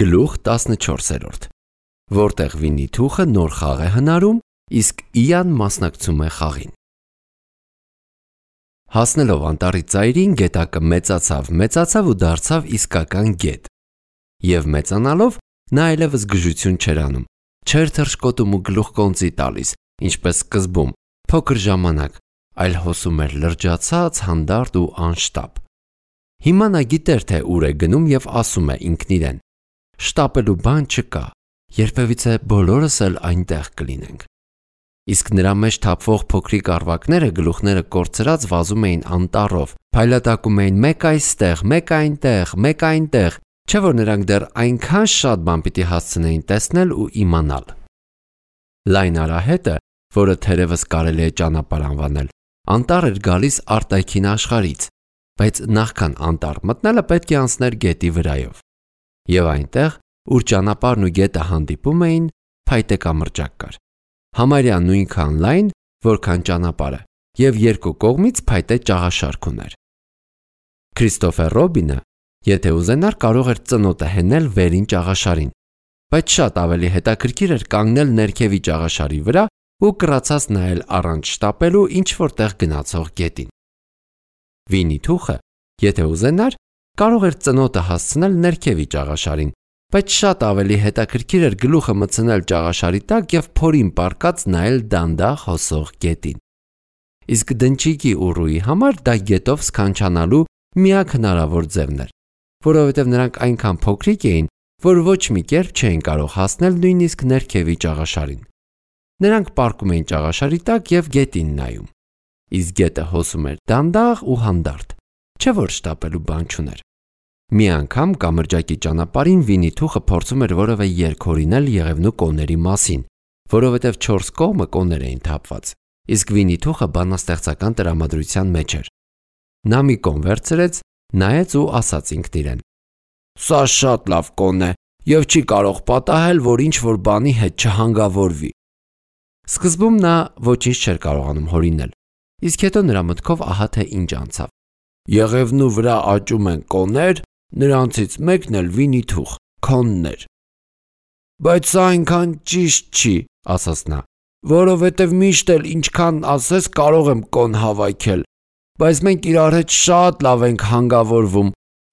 Գլուխ 14, որտեղ Վինի-Թուխը նոր խաղ է հնարում, իսկ Իան մասնակցում է խաղին։ Հասնելով անտառի ծայրին, գետակը մեծացավ ու դարձավ իսկական գետ։ Եվ մեծանալով նա այլևս գժություն չէր անում, չէր թռչկոտում ու գլուխկոնծի տալիս, ինչպես սկզբում, փոքր ժամանակ, այլ հոսում էր լրջացած, հանդարտ ու անշտապ։ Հիմա նա գիտեր, թե ուր է գնում և ասում է ինքն իրեն. շտապելու բան չկա, երբևիցե բոլորս էլ այնտեղ կլինենք։ Իսկ նրա մեջ թափվող փոքրիկ առվակները գլուխները կորցրած վազում էին անտառով, փայլատակում էին մեկ այստեղ, մեկ այնտեղ, մեկ այնտեղ, չէ որ նրանք դեռ այնքան շատ բան պիտի հասցնեին տեսնել ու իմանալ։ Լայն արահետը, որը թերևս կարելի է ճանապարհ անվանել, անտառ էր գալիս արտաքին աշխարհից, բայց նախքան անտառ մտնելը պետք է անցներ գետի վրայով։ Եվ այնտեղ, ուր ճանապարհն ու գետը հանդիպում էին, փայտե կամրջակ կար։ Համարյա նույնքան լայն, որքան ճանապարհը, և երկու կողմից փայտե ճաղաշարք ուներ։ Քրիստոֆեր Ռոբինը, եթե ուզենար, կարող էր ծնոտը հենել վերին ճաղաշարին, բայց շատ ավելի հետաքրքիր էր կանգնել ներքևի ճաղաշարի վրա ու կռացած նայել առանց շտապելու ինչ-որ տեղ գնացող գետին։ Վինի-Թուխը, եթե ուզենար, կարող էր ծնոտը հասցնել ներքևի ճաղաշարին, բայց շատ ավելի հետաքրքիր էր գլուխը մտցնել ճաղաշարի տակ և փորին պառկած նայել դանդաղ հոսող գետին։ Իսկ դնչիկի ու ռուի համար դա գետով սքանչանալու միակ հնարավոր ձևն էր, որովհետև նրանք այնքան փոքրիկ էին, որ ոչ մի կերպ չէին կարող հասնել նույնիսկ ներքևի ճաղաշարին։ Նրանք պառկում էին ճաղաշարի տակ և գետին նայում։ Իսկ գետը հոսում էր դանդաղ ու հանդարտ, չէ որ շտապելու բան չուներ։ Մի անգամ կամրջակի ճանապարհին Վինի-Թուխը փորձում էր որևէ երգ հորինել եղևնու կոների մասին, որովհետև 4 կողմը կոներ էին թափված, իսկ Վինի-Թուխը բանաստեղծական տրամադրության մեջ էր։ Նա մի կոն վերցրեց, նայեց ու ասաց ինքն իրեն. «Սա շատ լավ կոն է և չի կարող պատահել, որ ինչ-որ բանի հետ չհանգավորվի»։ Սկզբում նա ոչինչ չէր կարողանում հորինել, իսկ հետո նրա մտքով ահա թե ինչ անցավ։ «Եղևնու վրա աճում են կոներ, նրանցից մեկն էլ Վինի-Թուխ, քոնն էր»։ «Բայց սա այնքան ճիշտ չի», ասաց նա, «որովհետև միշտ էլ ինչքան ասես կարող եմ կոն հավաքել, բայց մենք իրար հետ շատ լավ ենք հանգավորվում,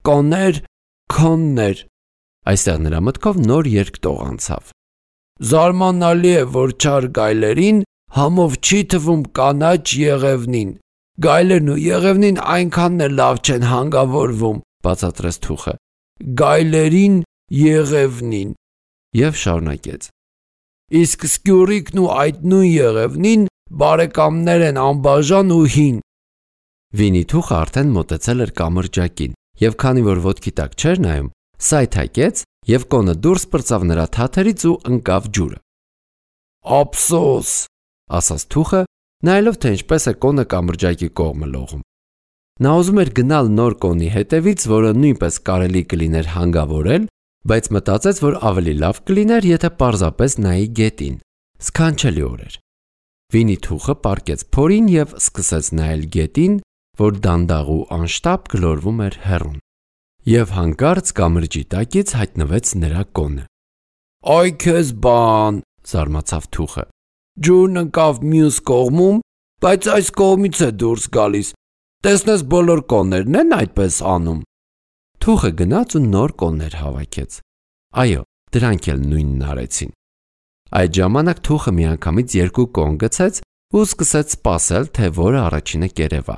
կոներ, քոններ»։ Այստեղ նրա մտքով նոր երկտող անցավ. «Զարմանալի է, որ չար գայլերին համով չի թվում կանաչ եղևնին, գայլերն ու եղևնին այնքան էլ լավ չեն հանգավորվում», բացատրեց Թուխը, «գայլերին, եղևնին»։ Եվ շարունակեց. «Իսկ սկյուռիկն ու այդ նույն եղևնին բարեկամներ են անբաժան ու հին»։ Վինի-Թուխը արդեն մոտեցել էր կամրջակին, և քանի որ ոտքի տակ չէր նայում, սայթաքեց և կոնը դուրս պրծավ նրա թաթերից ու ընկավ ջուրը։ «Ափսոս», ասաց Թուխը, նայելով թե ինչպես է կոնը կամրջակի կողմը լողում։ Նա ուզում էր գնալ նոր կոնի հետևից, որը նույնպես կարելի կլիներ հանգավորել, բայց մտածեց, որ ավելի լավ կլիներ, եթե պարզապես նայի գետին։ Սքանչելի օր էր։ Վինի-Թուխը պառկեց փորին և սկսեց նայել գետին, որ դանդաղ ու անշտապ գլորվում էր հեռուն։ Եվ հանկարծ կամրջի տակից հայտնվեց նրա կոնը։ «Այ քեզ բան», զարմացավ Թուխը, «ջուրն ընկավ մյուս կողմում, բայց այս կողմից է դուրս գալիս, տեսնես բոլոր կոններն են այդպես անում»։ Թուխը գնաց ու նոր կոններ հավաքեց։ Այո, դրանք էլ նույնն արեցին։ Այդ ժամանակ Թուխը միանգամից 2 կոն գցեց ու սկսեց սպասել, թե որը առաջինը կերևա։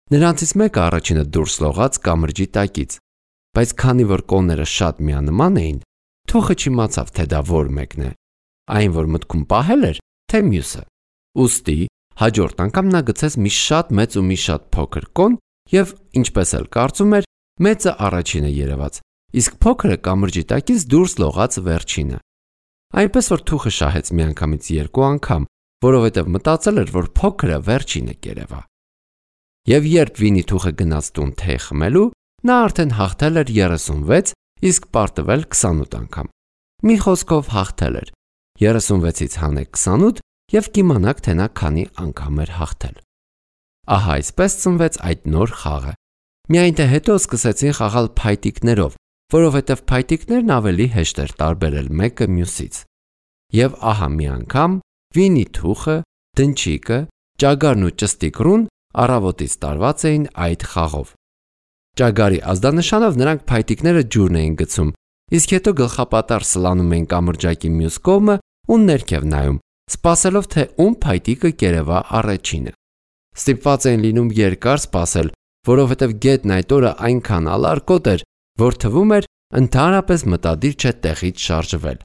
Նրանցից մեկը առաջինը դուրս լողաց կամրջի տակից, բայց քանի որ կոնները շատ միանման էին, Թուխը չիմացավ, թե դա որ մեկն է, այն որ մտքում պահել էր, թե մյուսը։ Ուստի հաջորդ անգամ նա գցեց մի շատ մեծ ու մի շատ փոքր կոն և, ինչպես էլ կարծում էր, մեծը առաջինը երևաց, իսկ փոքրը կամրջի տակից դուրս լողաց վերջինը։ Այնպես որ Թուխը շահեց միանգամից 2 անգամ, որովհետև մտածել էր, որ փոքրը վերջինը կերևա։ Եվ երբ Վինի-Թուխը գնաց տուն թեյ խմելու, նա արդեն հաղթել էր 36, իսկ պարտվել 28 անգամ։ Մի խոսքով հաղթել էր։ 36-ից հանեք 28 և կիմանաք, թե նա քանի անգամ էր հաղթել։ Ահա այսպես ծնվեց այդ նոր խաղը։ Միայն թե հետո սկսեցին խաղալ փայտիկներով, որովհետև փայտիկներն ավելի հեշտ էր տարբերել մեկը մյուսից։ Եվ ահա մի անգամ Վինի Թուխը, Դնչիկը, Ճագարն ու Ճստիկռուն առավոտից տարված էին այդ խաղով։ Ճագարի ազդանշանով նրանք փայտիկները ջուրն էին գցում, իսկ հետո գլխապատառ սլանում էին կամրջակի մյուս կողմը ու ներքև նայում, սպասելով թե ում փայտիկը կերևա առաջինը։ Ստիպված էին լինում երկար սպասել, որովհետև գետն այդ օրը այնքան ալարկոտ էր, որ թվում էր ընդհանրապես մտադիր չէ տեղից շարժվել։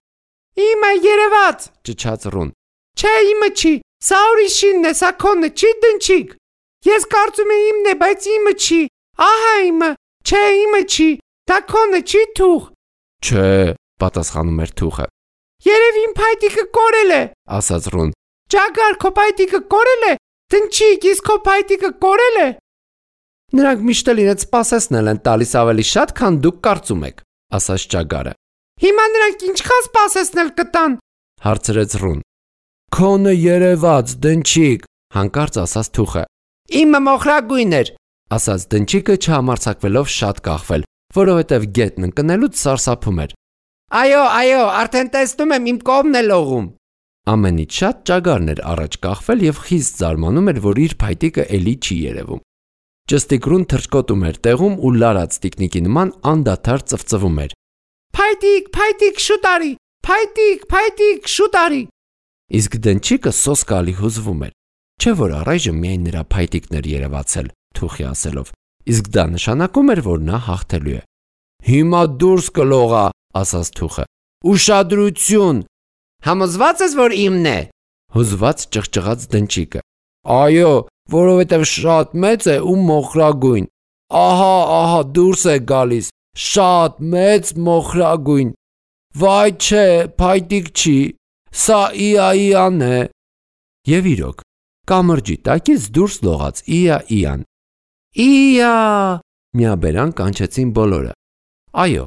Իմը երևաց, ճչաց Ռուն։ Չէ, իմը չի, սա ուրիշինն է, սա քոնը չի, Դնչիկ։ Ես կարծում եմ իմն է, բայց իմը չի։ Ահա իմը, չէ, իմը չի, դա քոնը չի, Թուխ։ Չէ, պատասխանում էր Թուխը։ Երևի իմ փայտիկը կորել է, ասաց Ռուն։ Ճագար, քո փայտիկը կորել է։ Դնչիկ, իսկ քո փայտիկը կորել է։ Նրանք միշտ էլ իրենց սպասեցնել են տալիս ավելի շատ, քան դուք կարծում եք, ասաց Ճագարը։ Հիմա նրանք ինչքան սպասեցնել կտան, հարցրեց Ռուն։ Քոնը երևաց, Դնչիկ, հանկարծ ասաց Թուխը։ Իմը մոխրագույն էր, ասաց Դնչիկը չհամարձակվելով շատ կախվել, որովհետև գետն ընկնելուց սարսափում էր։ Այո, արդեն տեսնում եմ իմ կողմն է լողում։ Ամենից շատ Ճագարն էր առաջ կախվել եւ խիստ զարմանում էր, որ իր փայտիկը էլի չի երևում։ Ճստիկռուն թռչկոտում էր տեղում ու լարած տիկնիկի նման անդադար ծվծվում էր։ Փայտիկ, շուտ արի, փայտիկ, շուտ արի։ Իսկ Դնչիկը սոսկալի հուզվում էր։ Չէ որ առայժմ միայն նրա փայտիկն էր երևացել, Թուխի ասելով, իսկ դա նշանակում էր, որ նա հաղթելու է։ Հիմա դուրս կլողա, ասաց Թուխը։ Ուշադրություն։ Համոզված ես, որ իմն է։ Հուզված ճղճղաց Դնչիկը։ Այո, որովհետև շատ մեծ է ու մոխրագույն։ Ահա, դուրս է գալիս։ Շատ մեծ մոխրագույն։ Վայ չէ, փայտիկ չի։ Սա իան է։ Եվ իրոք, կամրջի տակից դուրս լողաց իան։ Իա, միաբերան կանչեցին բոլորը։ Այո,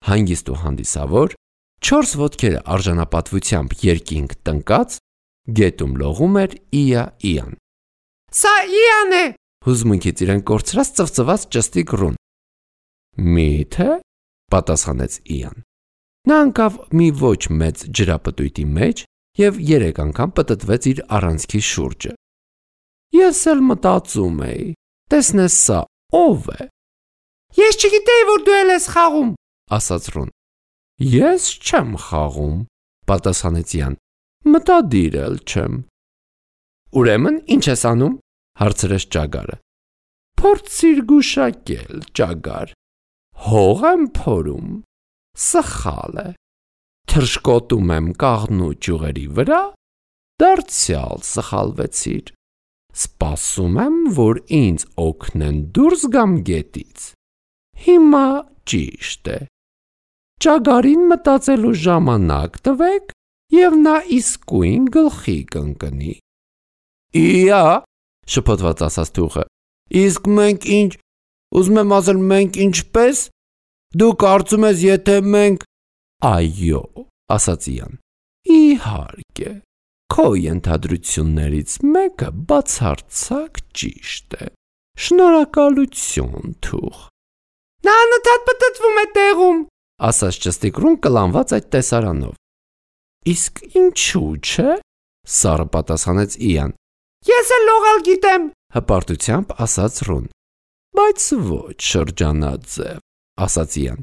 հանգիստ ու հանդիսավոր, 4 ոտքերը արժանապատվությամբ երկինք տնկած, գետում լողում էր իան։ Սա իան է, հուզմունքից իրեն կորցրած ծվծված Ճստիկռուն։ Միթե, պատասխանեց իան։ Նա ընկավ մի ոչ մեծ ջրապտույտի մեջ և 3 անգամ պտտվեց իր առանցքի շուրջը։ Ես էլ մտածում էի, տեսնես սա ով է։ Ես չգիտեի, որ դու ես խաղում, ասաց Ռուն։ Ես չեմ խաղում, պատասխանեց իան։ Մտադիր էլ չեմ։ Ուրեմն ինչ ես անում, հարցրեց Ճագարը։ Փորձիր գուշակել, Ճագար։ Հող եմ փորում, սխալ է։ Թռչկոտում եմ կաղնու ճյուղերի վրա, դարձյալ սխալվեցիր։ Սպասում եմ, որ ինձ օգնեն դուրս գամ գետից։ Հիմա ճիշտ է։ Ճագարին մտածելու ժամանակ տվեք, և նա իսկույն գլխի կընկնի։ Իա, շփոթված ասաց Թուխը։ Իսկ մենք ինչ, ուզում եմ ասել մենք ինչպես։ Դու կարծում ես, եթե մենք… Այո, ասաց իան։ Իհարկե, քո ենթադրություններից մեկը բացարձակ ճիշտ է։ Շնորհակալություն, Թուխ։ Նա անընդհատ պտտվում է տեղում, ասաց Ճստիկռուն կլանված այդ տեսարանով։ Իսկ ինչու՞ չէ, սառը պատասխանեց իան։ Ես էլ լողալ գիտեմ, հպարտությամբ ասաց Ռուն։ Բայց ոչ շրջանաձև, ասաց իան։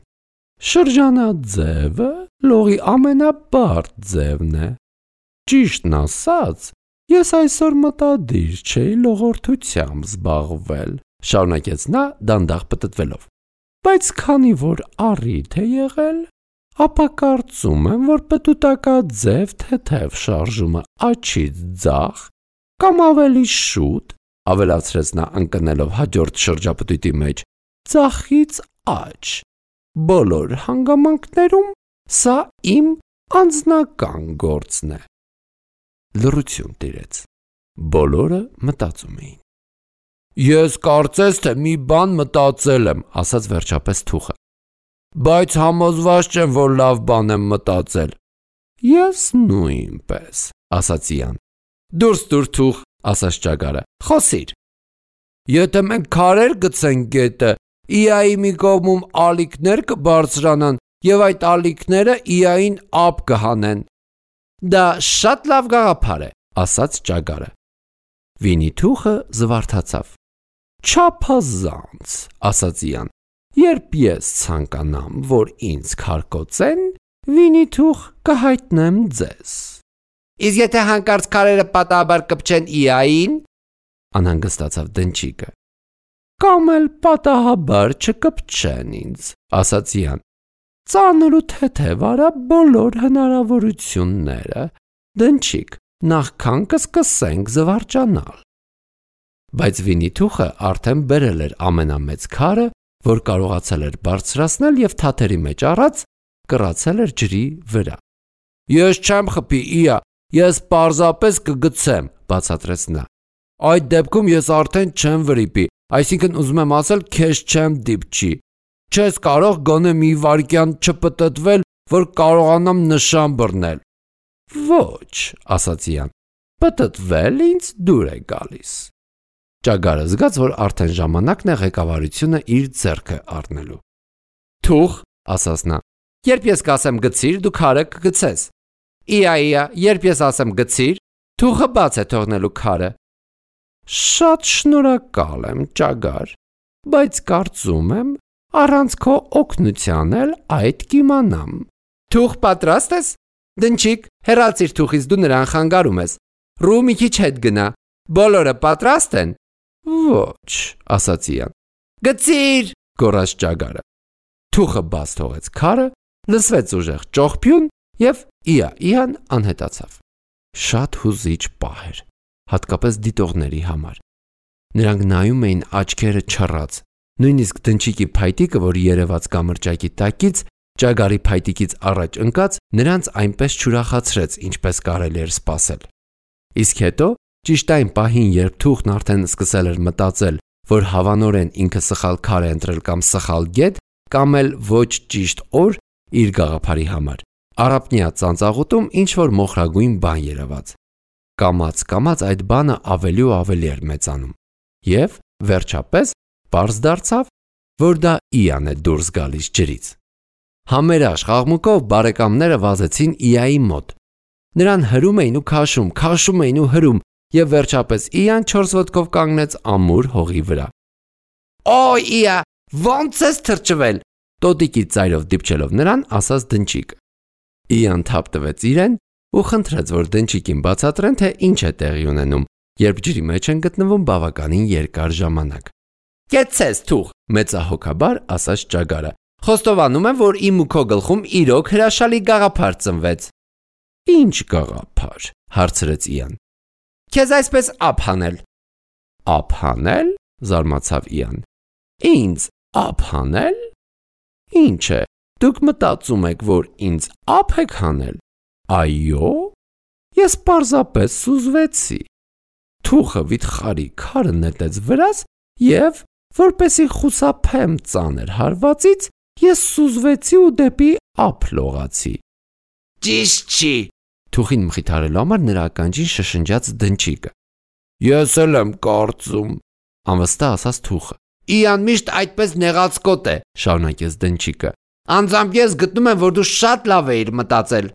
Շրջանաձևը լողի ամենաբարդ ձևն է։ Ճիշտն ասած, ես այսօր մտադիր չէի լողորդությամբ զբաղվել, շարունակեց նա դանդաղ պտտվելով։ Բայց քանի որ առիթ է եղել, ապա կարծում եմ, որ պտուտակաձև թեթև շարժումը աչից ձախ կամ ավելի շուտ, ավելացրեց նա ընկնելով հաջորդ շրջապտույտի մեջ, ձախից աջ։ Բոլոր հանգամանքներում սա իմ անձնական գործն է։ Լռություն տիրեց։ Բոլորը մտածում էին։ Ես կարծես թե մի բան մտածել եմ, ասաց վերջապես Թուխը։ Բայց համոզված չեմ, որ լավ բան եմ մտածել։ Ես նույնպես, ասաց իան։ Դուրս տուր Թուխ, ասաց Ճագարը։ Խոսիր։ Եթե մենք քարեր գցենք գետը Իայի մի կողմում ալիքներ կբարձրանան եւ այդ ալիքները իային ափ կհանեն։ Դա շատ լավ գաղափար է, ասաց ճագարը։ Վինիթուխը զվարթացավ։ Չափազանց, ասաց Իան։ Երբ ես ցանկանամ, որ ինձ քարկոծեն, Վինիթուխ կհայտնեմ ձեզ։ Իսկ եթե հանկարծ քարերը պատահաբար կպչեն իային, անհանգստացավ դնչիկը։ Կամ էլ պատահաբար չկպչեն ինձ, ասաց Իան։ Ծանր ու թեթև արա բոլոր հնարավորությունները, դնչիկ, նախքան կսկսենք զվարճանալ։ Բայց Վինիթուխը արդեն բերել էր ամենամեծ քարը, որ կարողացել էր բարձրացնել եւ թաթերի մեջ առած կռացել էր ջրի վրա։ Ես չեմ խփի, Իա, ես պարզապես կգցեմ, բացատրեց նա։ Այդ դեպքում ես արդեն չեմ վրիպի, այսինքն ուզում եմ ասել, քեզ չեմ դիպչի։ Չես կարող գոնե մի վայրկյան չպտտվել, որ կարողանամ նշան բռնել։ Ոչ, ասաց Իան, պտտվել ինձ դուր է գալիս։ Ճագարը զգաց, որ արդեն ժամանակն է ղեկավարությունը իր ձեռքը առնելու։ Թուխ, ասաց նա, երբ ես կասեմ գցիր, դու քարը կգցես։ Իա, երբ ես ասեմ գցիր, թուխը բաց է թողնելու քարը։ Շատ շնորհակալ եմ, ճագար, բայց կարծում եմ, առանց քո օգնության էլ այդ կիմանամ։ Թուխ պատրաստ ես։ Դնչիկ, հեռացիր թուխից, դու նրան խանգարում ես։ Ռու մի քիչ հետ գնա։ Բոլորը պատրաստ են։ Ոչ, ասաց Իան։ Գցիր, գոռաց ճագարը։ Թուխը բաց թողեց քարը, լսվեց ուժեղ ճողփյուն եւ Իան անհետացավ։ Շատ հուզիչ պահ էր, հատկապես դիտողների համար։ Նրանք նայում էին աչքերը չռած, նույնիսկ դնչիկի փայտիկը, որ երևաց կամրջակի տակից, ճագարի փայտիկից առաջ ընկած, նրանց այնպես չուրախացրեց, ինչպես կարելի էր սպասել։ Իսկ հետո, ճիշտ այն պահին, երբ Թուխն արդեն սկսել էր մտածել, որ հավանորեն ինքը սխալ քար է ընտրել կամ սխալ գետ, կամ էլ ոչ ճիշտ օր իր գաղափարի համար, առափնյա ծանծաղուտում ինչ-որ մոխրագույն բան երևաց։ Կամաց այդ բանը ավելի ու ավելի էր մեծանում։ Եվ, վերջապես, պարզ դարձավ, որ դա Իան է դուրս գալիս ջրից։ Համերաշխ աղմուկով բարեկամները վազեցին Իայի մոտ։ Նրան հրում էին ու քաշում էին ու հրում, եւ վերջապես Իան 4 ոտքով կանգնեց ամուր հողի վրա։ Օ, Իա, ո՞նց ես թրջվել, տոտիկի ծայրով դիպչելով նրան, ասաց դնչիկը։ Իան թափ տվեց իրեն ու խնդրեց, որ դնչիկին բացատրեն, թե ինչ է տեղի ունենում, երբ ջրի մեջ են գտնվում բավականին երկար ժամանակ։ Կեցես, Թուխ, մեծահոգաբար ասաց ճագարը։ Խոստովանում եմ, որ իմ ու քո գլխում իրոք հրաշալի գաղափար ծնվեց։ Ինչ գաղափար, հարցրեց Իան։ Քեզ այսպես ափ հանել։ Ափ հանել, զարմացավ Իան։ Ինձ ափ հանել։ Ինչ է, դուք մտածում եք, որ ինձ ափ եք հանել։ Այո, ես պարզապես սուզվեցի։ Թուխը վիթխարի քարը նետեց վրաս եւ, որպեսի խուսափեմ ծանր հարվածից, ես սուզվեցի ու դեպի ափ լողացի։ Ճիշտ չի, Թուխին մխիթարելու համար նրա ականջին շշնջաց դնչիկը։ Ես էլ եմ կարծում, անվստահ ասաց Թուխը։ Իան միշտ այդպես նեղացկոտ է, շարունակեց դնչիկը։ Անձամբ ես գտնում եմ, որ դու շատ լավ էիր մտածել։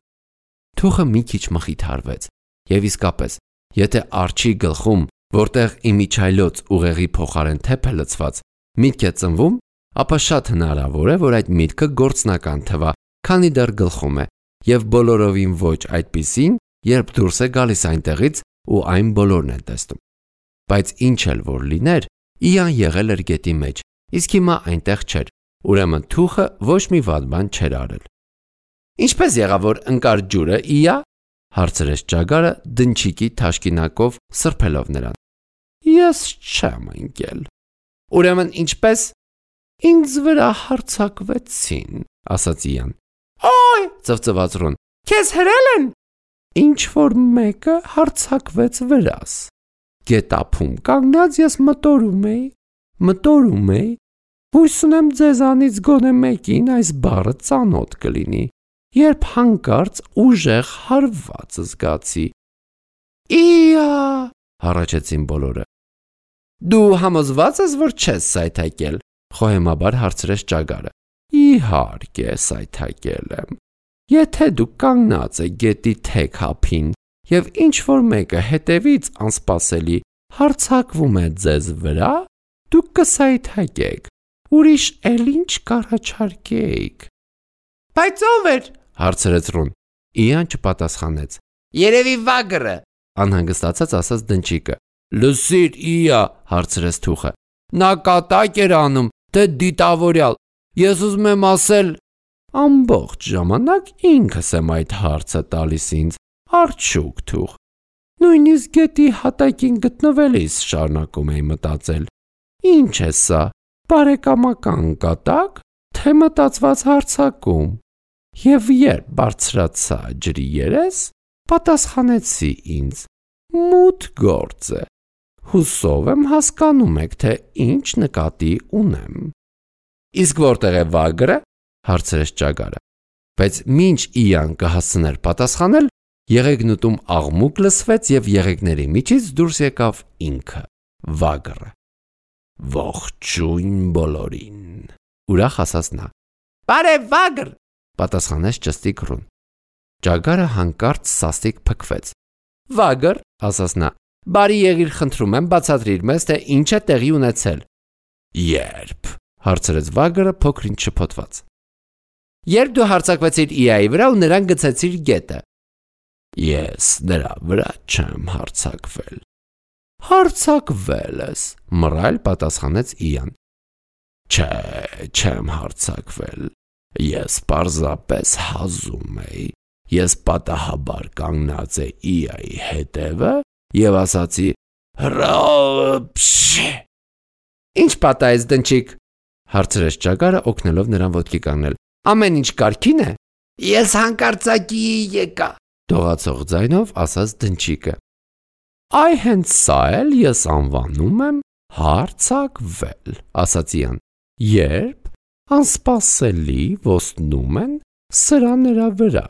Թուխը մի քիչ մխիթարվեց, եւ իսկապես, եթե արջի գլխում, որտեղ իմիջայլոց ուղեղի փոխարեն թեփ է լցված, միտք է ծնվում, ապա շատ հնարավոր է, որ այդ միտքը գործնական թվա, քանի դեռ գլխում է, եւ բոլորովին ոչ այդպիսին, երբ դուրս է գալիս այնտեղից ու այն բոլորն են տեսնում։ Բայց ինչ էլ որ լիներ, Իան եղել էր գետի մեջ, իսկ հիմա այնտեղ չէր, ուրեմն Թուխը ոչ մի վատ բան չէր արել։ Ինչպես եղավ, որ ընկար ջուրը, Իա, հարցրեց ճագարը դնչիկի թաշկինակով սրբելով նրան։ Ես չեմ ընկել։ Ուրեմն ինչպես։ Ինձ վրա հարձակվեցին, ասաց Իան։ Օй, ծվծվաց Ռոն, քեզ հրել են։ Ինչ որ մեկը հարձակվեց վրաս։ Գետափում կանգնած ես մտորում էի, հույս ունեմ ձեզանից գոնե մեկին այս բառը ծանոթ կլինի, երբ հանկարծ ուժեղ հարված զգացի։ Իա, հառաչեցին բոլորը։ Դու համոզված ես, որ չես սայթակել, խոհեմաբար հարցրեց ճագարը։ Իհարկե, սայթակել եմ։ Եթե դուք կանգնած եք գետի թեք հափին եւ ինչ որ մեկը հետևից անսպասելի հարցակվում է ձեզ վրա, դուք կսայթակեք։ Ուրիշ էլ ինչ կառաջարկեիք։ Բայց ով էր։ Հարցրեց Ռոն։ Իան չպատասխանեց։ Երևի վագրը։ Անհանգստացած ասաց դնչիկը։ Լսիր, Իա, հարցրեց թուխը։ Նա կատակ էր անում, թե դիտավորյալ։ Ես ուզում եմ ասել, ամբողջ ժամանակ ինքս եմ այդ հարցը տալիս ինձ, արդյոք թուղ։ Նույնիսկ գետի հատակին գտնվելիս շարունակում էի մտածել. Ինչ է սա, բարեկամական կատակ, թե մտածված հարցակում։ Եվ երբ բարձրացա ջրի երես, պատասխանեցի ինձ. մութ գործ է։ Հուսով եմ հասկանում եք, թե ինչ նկատի ունեմ։ Իսկ որտեղ է վագրը, հարցրեց ճագարը։ Բայց մինչ Իան կհասցներ պատասխանել, եղեգնուտում աղմուկ լսվեց եւ եղեգների միջից դուրս եկավ ինքը, վագրը։ Ողջույն բոլորին, ուրախ ասաց նա։ Բարև վագր, պատասխանեց ճստիկ Ռուն։ Ճագարը հանկարծ սաստիկ փքվեց։ Վագր, ասաց նա, բարի եղիր, խնդրում եմ, բացատրիր մեզ, թե ինչ է տեղի ունեցել։ Երբ, հարցրեց վագրը փոքրինչ շփոթված։ Երբ դու հարցակվեցիր Իայի վրա ու նրան գցեցիր գետը։ Ես նրա վրա չեմ հարցակվել։ Հարցակվել ես, մռայլ պատասխանեց Իան։ Չէ, չեմ հարցակվել։ Ես պարզապես հազում էի։ Ես պատահաբար կանգնած էի Իայի հետևը եւ ասացի. «Հրափշ»։ Ինչ պատահեց դնչիկ, հարցրեց ճագարը օգնելով նրան ոտքի կանգնել։ Ամեն ինչ կարգին է։ Ես հանկարծակի եկա, դողացող ձայնով ասաց դնչիկը։ Այ հենց սա էլ ես անվանում եմ հարցակվել, ասաց Իան։ Երբ անսպասելի ոսնում են սրա նրա վրա։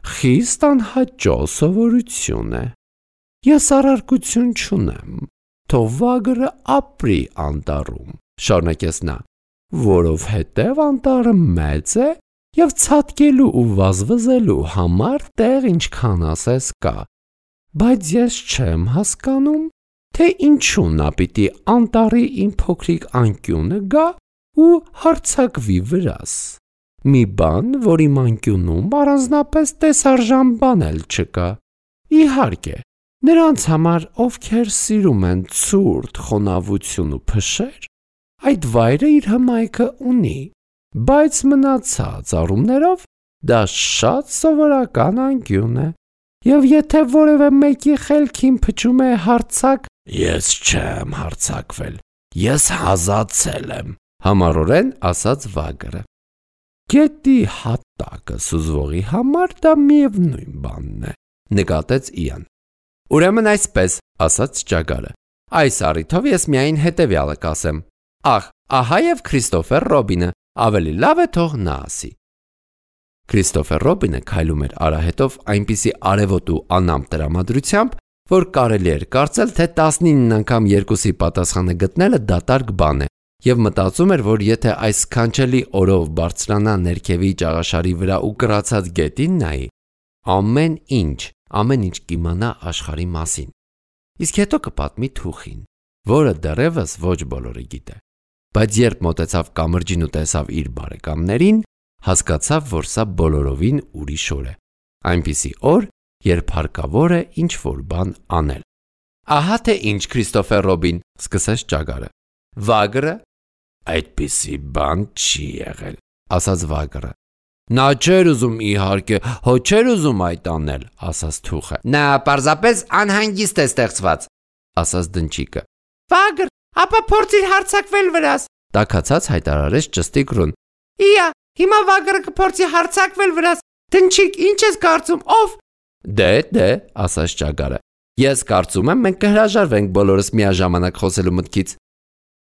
Խիստ անհաճո սովորություն է։ Ես առարկություն չունեմ, թող վագրը ապրի անտառում, շարունակեց նա, որովհետև անտառը մեծ է և ցատկելու ու վազվզելու համար տեղ ինչքան ասես կա, բայց ես չեմ հասկանում, թե ինչու նա պիտի անտառի իմ փոքրիկ անկյունը գա ու հարցակվի վրաս։ Մի բան, որ իմ անկյունում առանձնապես տեսարժան բան էլ չկա։ Իհարկե, նրանց համար, ովքեր սիրում են ցուրտ խոնավություն ու փշեր, այդ վայրը իր հմայքը ունի, բայց մնացած առումներով դա շատ սովորական անկյուն է։ Եվ եթե որևէ մեկի խելքին փչում է հարցակ, ես չեմ հարցակվել, ես հազացել եմ, համառորեն ասաց վագրը։ Գետի հատակը սուզվողի համար դա միևնույն բանն է, նկատեց Իան։ Ուրեմն այսպես, ասաց ճագարը։ Այս առիթով ես միայն հետևյալը կասեմ. Ահ, ահա եւ Քրիստոֆեր Ռոբինը, ավելի լավ է թող նա ասի։ Քրիստոֆեր Ռոբինը քայլում էր արահետով այնպիսի արևոտ ու անամպ տրամադրությամբ, որ կարելի էր կարծել, թե 19 անգամ 2-ի պատասխանը գտնելը դատարկ բան է, եւ մտածում էր, որ եթե այս սքանչելի օրով բարձրանա ներքևի ճաղաշարի վրա ու կրացած գետին նայի, ամեն ինչ կիմանա աշխարհի մասին։ Իսկ հետո կպատմի թուխին, որը դեռևս ոչ բոլորը գիտե։ Բայց երբ մոտեցավ կամրջին ու տեսավ իր բարեկամներին, հասկացավ, որ սա բոլորովին ուրիշ օր է։ Այնպիսի օր, երբ հարկավոր է ինչ-որ բան անել։ Ահա թե ինչ, Քրիստոֆեր Ռոբին, սկսեց ճագարը։ Վագրը, այդպիսի բան չի եղել, ասաց վագրը։ Նա չէր ուզում իհարկե, հո չէր ուզում այդ անել, ասաց թուխը։ Նա պարզապես անհանգիստ է ստեղծված, ասաց դնչիկը։ վագր, ապա փորձիր հարցակվել վրաս, տաքացած հայտարարեց ճստիկ Ռուն։ Իա, հիմա վագրը կփորձի հարցակվել վրաս, դնչիկ, ինչ ես կարծում, ով։ Դե, ասաց ճագարը։ Ես կարծում եմ մենք կհրաժարվենք բոլորս միաժամանակ խոսելու մտքից։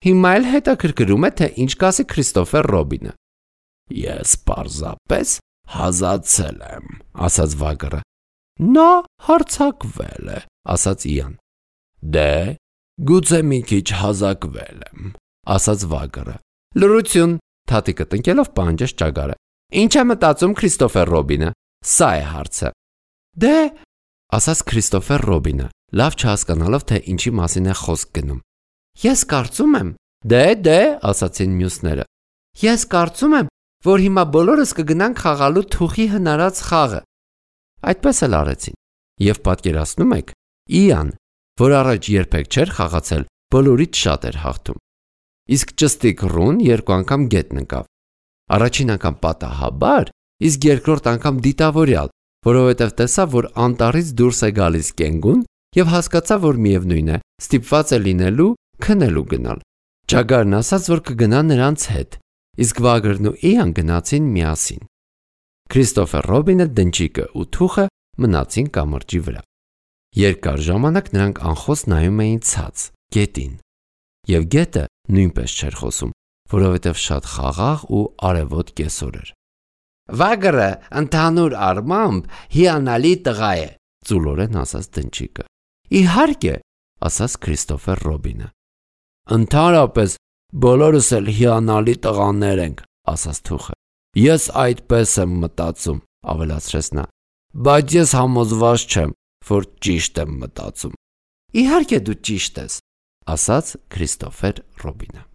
Հիմա էլ հետաքրքրում է, թե ինչ կասի Քրիստոֆեր Ռոբինը։ Ես պարզապես հազացել եմ, ասաց վագրը։ Նա հարցակվել է, ասաց Իան։ Դե, գուցե մի քիչ հազակվել եմ, ասաց վագրը։ Լրություն, թաթիկը տնկելով պահանջեց ճագարը։ Ինչ է մտածում Քրիստոֆեր Ռոբինը։ Սա է հարցը։ Դե, ասաց Քրիստոֆեր Ռոբինը, լավ չհասկանալով, թե ինչի մասին է խոսք գնում։ ես կարծում եմ, Դե, ասացին մյուսները։ ես կարծում եմ, որ հիմա բոլորս կգնանք խաղալու թուխի հնարած խաղը։ Այդպես էլ արեցին։ Եվ պատկերացնում եք, Իան, որ առաջ երբեք չէր խաղացել, բոլորից շատ էր հաղթում։ Իսկ ճստիկ Ռուն 2 անգամ գետ նկավ։ Առաջին անգամ պատահաբար, իսկ երկրորդ անգամ դիտավորյալ, որովհետև տեսավ, որ անտառից դուրս է գալիս կենգուն եւ հասկացավ, որ միևնույն է, ստիպված է լինելու քնելու գնալ։ Ճագարն ասաց, որ կգնա նրանց հետ, իսկ Վագրն ու Իան գնացին միասին։ Քրիստոֆեր Ռոբինը, դնչիկը ու թուխը մնացին կամրջի վրա։ Երկար ժամանակ նրանք անխոս նայում էին ցած, գետին։ Եվ գետը նույնպես չէր խոսում, որովհետև շատ խաղաղ ու արևոտ կեսօր էր։ Վագրը ընդհանուր առմամբ հիանալի տղա է, Ծուլորեն ասաց դնչիկը։ Իհարկե, ասաց Քրիստոֆեր Ռոբինը։ Ընդհանրապես բոլորս էլ հիանալի տղաներ ենք, ասաց թուխը։ Ես այդպես եմ մտածում, ավելացրեց նա։ Բայց ես համոզված չեմ, որ ճիշտ եմ մտածում։ Իհարկե դու ճիշտ ես, ասաց Քրիստոֆեր Ռոբինը։